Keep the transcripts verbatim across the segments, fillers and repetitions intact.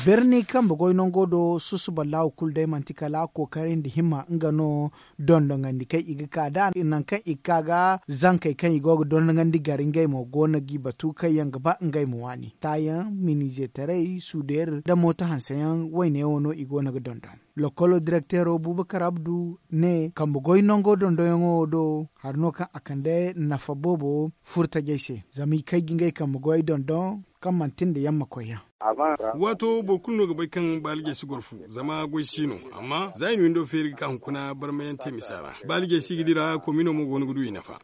Birni kambe goy nango do susuba laawu kulu day manti kala kookaray nda himma nga no. Dondonandi kaŋ i ga ka nd'a nangu kaŋ i ga ka ga zankey kaŋ i go ga dondonandi gar ngey mo go no g'i batu kaŋ yaŋ ga ba ngey ma waani taayaŋ, minizeetaray, suudeer nda mooto hanseyaŋ wayne wo no i go no ga dondon. Lokolo direkteero buubakar abdu ne kambe goy nango dondonyaŋo wo do hari no kaŋ a kande nafa boobo furtajey se zama i kay ga ngey kambe goyey dondon kaŋ manti nda yamma koyyaŋ. Waato boro kulu no ga bay kaŋ baalijey si goro fu zama goy si no. Amma za i na windo feeri ga ka hunkuna barmayaŋ te misa ra baalijey si ga dira komino mo go no ga du i nafa.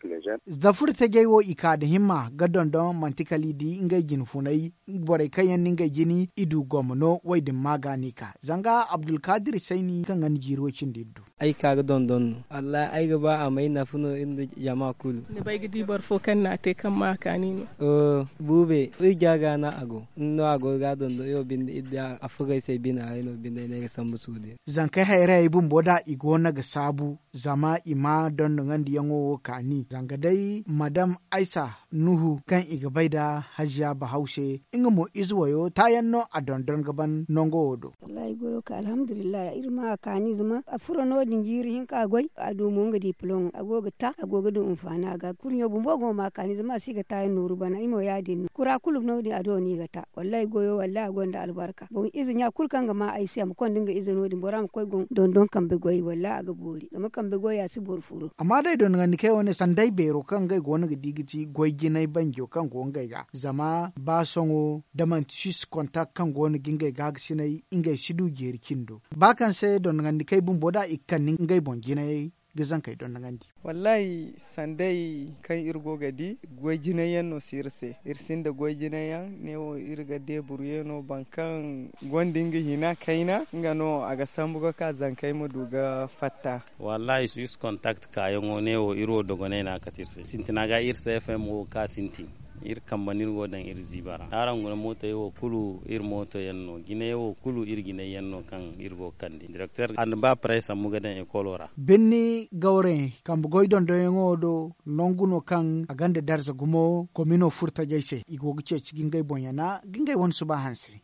Za furtajey wo i ka da himma ga dondon manti kala i di ngey jine funay. Borey kaŋ yaŋ na ngey jine i du gomma no wo- din ma ga no i ka zanga abdulkaadir sayni kaŋ ga ni jiiri wo- cindi iri du. Ay ka ga dondon no. Wallahi ay ga ba a may nafa no iri nda jama kulu. Ni bay ga di boro fo kaŋ na a te kaŋ ma a kaani no? Buube iri ja ga no a go. Ni no a go ga dondon iri wo binde iri di a fugay se bine haray no binde ay ne ay ga sambu suude. Zankey hayrayey bumbo da i go no ga saabu zama i ma dondonandiyaŋo wo kaani zanga day madam aysa nuhu kaŋ i ga bay nda haziya bahaw se. Nga mo ize wayo taayaŋ no a dondon ga ban nango wo do. Wallahi goyo ka alhamdulillahi iri ma a kaani zama a furo no- din jiiri hinka a goy a du mo nga diplom a go ga ta a go ga du hinfaani a ga kurɲo bumbo go ma a kaani zama a si ga taayaŋ nooru bana i mo ya- din no kura kulu no- din a do no i ga ta. Wallahi goyo wallahi a gonda albarka boŋ ize ɲa kulu kaŋ ga ma ay se a ma konda nga ize no- din bora ma koy ga dondon kambe goy wallahi a ga boori zama kambe goy a si boro furo. Amma day dondonandi kaŋ ay wane sanday beero kaŋ ngey go no ga di ga ti goy jinay banjo kaŋ go ngey ga zama ba sohõ da manti six kontak kaŋ go no ga ngey gaagasinay ngey si du jeeri cindo ba kaŋ se dondonandi kay bumbo da i ga kande ngey boŋ jinayey ga zankey dondonandi. Wallahi sanday kaŋ iri go ga di goy jinay yaŋ no si iri se iri sinda goy jinay yaŋ ne wo iri ga deeburuye no boro kaŋ gonda nga hina kayna nga no a ga sambu ga ka zankey ma du ga fatta. Wallahi six kontak kaayaŋo ne wo iri wo dogonay no a kate iri se sintina ga iri se fm wo ga ka sintin. Iri kambe no iri go ga daŋ iri ziiba ra araŋ guna mootoyaŋ wo kulu iri mootoyaŋ no jinay wo kulu iri jinay yaŋ no kaŋ iri go ga kande direkter a na ba parey sambu ga daŋ ekolo ra. Birni gawrayaŋ kambe goy dondonyaŋo do nangu no kaŋ a gonda darza gumo komino furtajey se i go ga ceeci ga ngey boŋ yana ga ngey wane suba hanse.